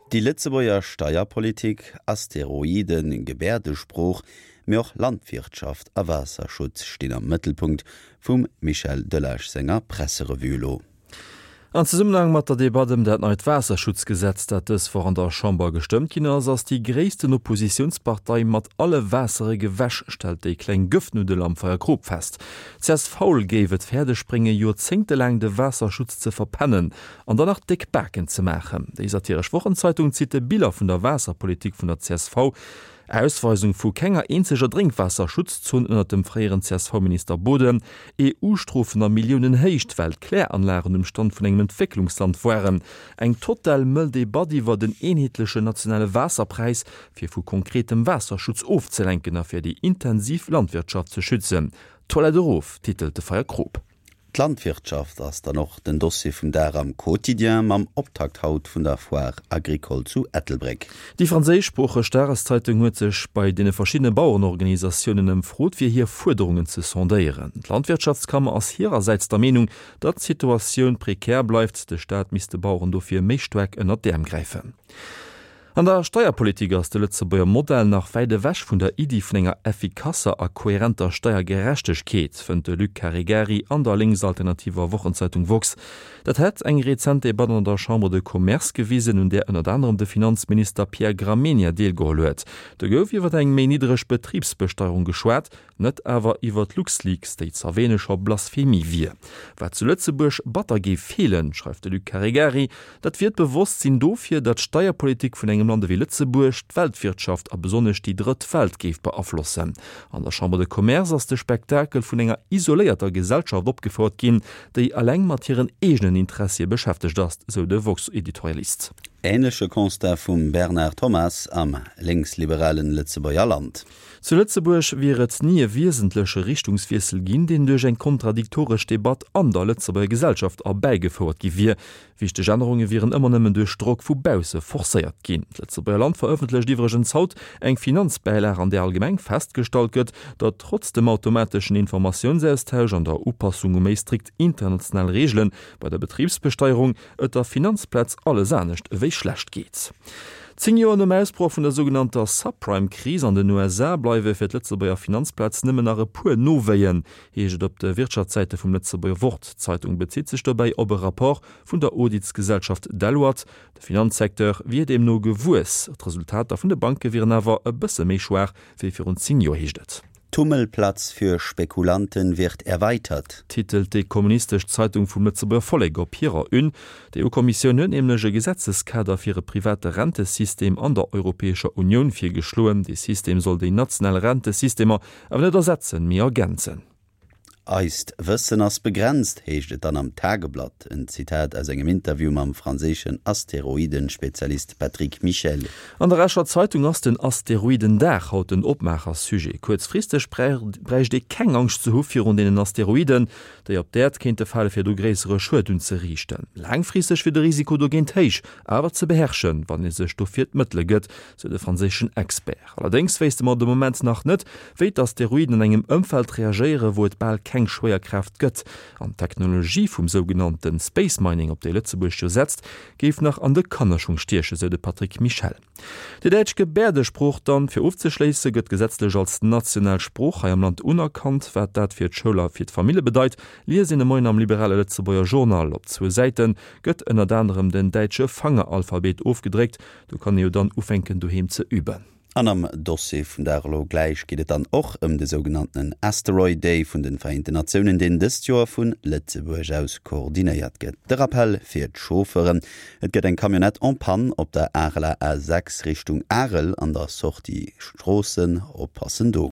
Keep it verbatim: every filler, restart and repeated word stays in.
Déi Lëtzebuerger Steierpolitik, Asteroiden, Gebäerdesprooch, mee och Landwirtschaft a Waasserschutz stinn am Mëttelpunkt vum Michel Delage senger Presserevue elo. An Zesummenhang mat der Debatt ëm dat neit Waasserschutzgesetz, dat dës Woch an der Chamber gestëmmt ginn ass, ass déi gréissten Oppositiounspartei mat alle Waassere gewäsch, stellt déi kleng Gëftnuddel am Feierkrop fest. Csv géif et fäerdeg bréngen, joerzéngtelaang de Waasserschutz ze verpennen an dann nach déck Baken ze maachen. Déi satiresch Wochenzeitung zitt de Biller vun der Waasserpolitik vun der csv, Ausweisung vu kenger eenzeger Drénkwaasserschutzzon ënnert dem fréieren CSV-Minister Boden, EU-Strofen a Milliounenhéicht, well d'Kläranlagen um Stand vun engem Entwécklungsland waren, eng total mëll Debatt iwwer den eenheetlechen nationale Waasserpräis, fir vu konkretem Waasserschutz ofzelenken a fir déi intensiv Landwirtschaft ze schützen. Toilette erof, titelt de Feierkrop. D'Landwirtschaft ass dann och den Dossier vum Dag am Quotidien mam Optakt haut vun der Foire agricole zu Ettelbréck. Déi franséischsproocheg Dageszeitung huet sech bei deene verschiddene Bauerenorganisatiounen ëmfrot, fir hir Fuerderungen ze sondéieren. D'Landwirtschaftskammer ass hirersäits der Meenung, datt d'Situatioun prekär bleift, de Staat misst de Baueren dofir méi staark ënnert d'Äerm gräifen. An der Steierpolitik ass de Lëtzebuerger Modell nach wäit ewech vun der Iddi vun enger effikasser a kohärenter Steiergerechtegkeet, fënnt de Luc Caregari an der lénksalternativer Wochenzeitung woxx. Dat hätt eng rezent Debatt an der Chambre de Commerce gewisen, un där ënnert anerem de Finanzminister Pierre Gramegna deelgeholl huet. Do gouf iwwer eng méi niddereg Betribsbesteierung geschwat, net awer iwwer d'LuxLeaks, déi z'erwähne scho Blasphemie wier. Wat zu Lëtzebuerg batter géif feelen, schreift de Luc Caregari, dat wier d'Bewosstsinn dofir, datt d'Steierpolitik vun engem Land ewéi Lëtzebuerg d'Weltwirtschaft a besonnesch déi Drëtt Welt géif beaflossen. An der Chambre de Commerce ass de Spektakel vun enger isoléierter Gesellschaft opgefouert ginn, déi eleng mat hiren eegenen Interessie beschäftegt ass, sou de woxx-Editorialist. Änleche Constat vum Bernard Thomas am lénksliberalen Lëtzebuerger Land. Zu Lëtzebuerg wier et ni e wiesentleche Richtungswiessel ginn, deen duerch eng kontradiktoresch Debatt an der Lëtzebuerger Gesellschaft erbäigefouert gi wier. Wichteg Ännerunge wieren ëmmer nëmmen duerch Drock vu bausse forcéiert ginn. D'Lëtzebuerger Land verëffentlecht iwwregens haut eng Finanzbäilag, an där allgemeng festgestallt gëtt, datt trotz dem automateschen Informatiounsaustausch an der Upassung u méi strikt international Reegele bei der Betribsbesteierung et der Finanzplaz alles anescht ewéi schlecht geet. Zéng Joer nom Ausbroch vun der sougenannter Subprime-Kris an den U S A bleiwe fir d'Lëtzebuerger Finanzplaz nëmmen nach e puer Nowéien, heescht et op de Wirtschaftssäite vum Lëtzebuerger Wort. D'Zeitung bezitt sech dobäi op e Rapport vun der Auditsgesellschaft Deloitte. De Finanzsecteur wier deemno gewuess, d'Resultater vun de Banke wieren awer e bësse méi schwaach wéi virun zéng Joer, heescht et. Tummelplatz für Spekulanten wird erweitert. Titelt déi kommunistesch Zeitung vum Lëtzebuerger Vollek op hirer Une. D'E U-Kommissioun huet nämlech e Gesetzeskader fir e private Rentesystem an der Europäescher Unioun virgeschloen. Dee System soll déi national Rentesystemer awer net ersetzen, mee ergänzen. Eist Wëssen ass begrenzt, heescht et dann am Tageblatt, en Zitat aus engem Interview mam franséischen Asteroidenspezialist Patrick Michel. An der Escher Zeitung ass den Asteroidendag haut den Opmaachersujet. Kuerzfristeg bräicht ee keng Angscht ze hu virun deenen Asteroiden, déi op d'Äerd kéinte fale fir do gréissere Schued unzeriichten. Laangfristeg wier de Risiko dogéint héich, awer ze beherrschen, wann ee sech dofir d'Mëttele gëtt, sou de franséischen Expert. Allerdéngs wéisste mer de Moment nach net, wéi d'Asteroiden an engem Ëmfeld reagéieren, wou et bal keng Schwéierkraaft gëtt. An d'Technologie vum sougenannte Space Mining, op déi Lëtzebuerg jo setzt, géif nach an de Kannerschung stiechen, sou de Patrick Michel. Déi däitsch Gebäerdesprooch dann, fir ofzeschléisse, gëtt gesetzlech als national Sprooch hei am Land unerkannt. Wat dat fir d'Schoul a fir d'Famille bedeit, liest een de Moien am liberale Lëtzebuerger Journal. Op zwou Säite gëtt ënnert anerem den däitsche Fangeralphabet ofgedréckt. Do kann ee jo dann ufänken doheem ze üben. An am Dossier vum Dag elo gläich geet et dann och ëm de sougenannten Asteroid Day vun de Vereenten Natiounen, deen dëst Joer vu Lëtzebuerg aus koordinéiert gëtt. De Rappell fir d'Chauffeuren, Et gëtt eng Camionnette en panne op der Areler A sechs Richtung Arel an der Sortie Stroossen. Oppassen do.